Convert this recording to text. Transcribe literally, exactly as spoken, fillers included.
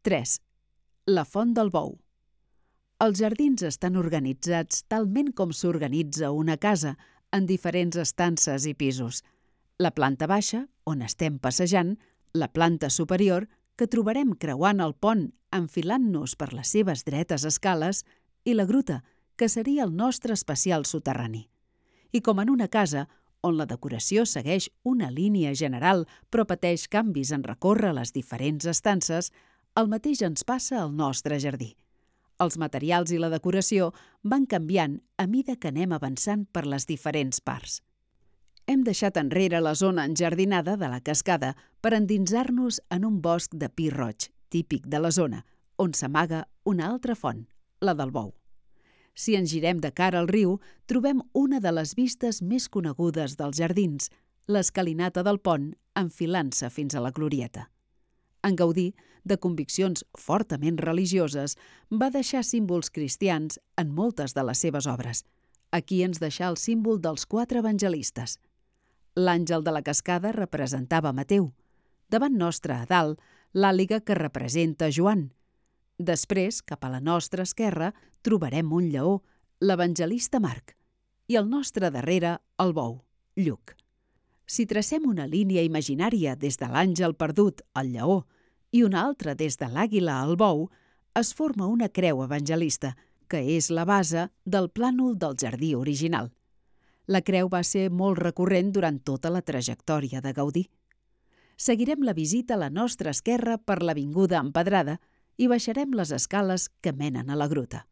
tres. La font del bou. Els jardins estan organitzats talment com s'organitza una casa, en diferents estances i pisos. La planta baixa, on estem passejant, la planta superior, que trobarem creuant el pont enfilant-nos per les seves dretes escales, i la gruta, que seria el nostre especial soterrani. I com en una casa, on la decoració segueix una línia general però pateix canvis en recórrer les diferents estances, el mateix ens passa al nostre jardí. Els materials i la decoració van canviant a mida que anem avançant per les diferents parts. Hem deixat enrere la zona enjardinada de la cascada per endinsar-nos en un bosc de pi roig, típic de la zona, on s'amaga una altra font, la del bou. Si ens girem de cara al riu, trobem una de les vistes més conegudes dels jardins, l'escalinata del pont enfilant-se fins a la glorieta. En Gaudí, de conviccions fortament religioses, va deixar símbols cristians en moltes de les seves obres. Aquí ens deixà el símbol dels quatre evangelistes. L'àngel de la cascada representava Mateu. Davant nostre, a dalt, l'àliga que representa Joan. Després, cap a la nostra esquerra, trobarem un lleó, l'evangelista Marc, i al nostre darrere, el bou, Lluc. Si tracem una línia imaginària des de l'àngel perdut, el lleó, i una altra des de l'àguila al bou, es forma una creu evangelista, que és la base del plànol del jardí original. La creu va ser molt recurrent durant tota la trajectòria de Gaudí. Seguirem la visita a la nostra esquerra per l'avinguda empedrada i baixarem les escales que menen a la gruta.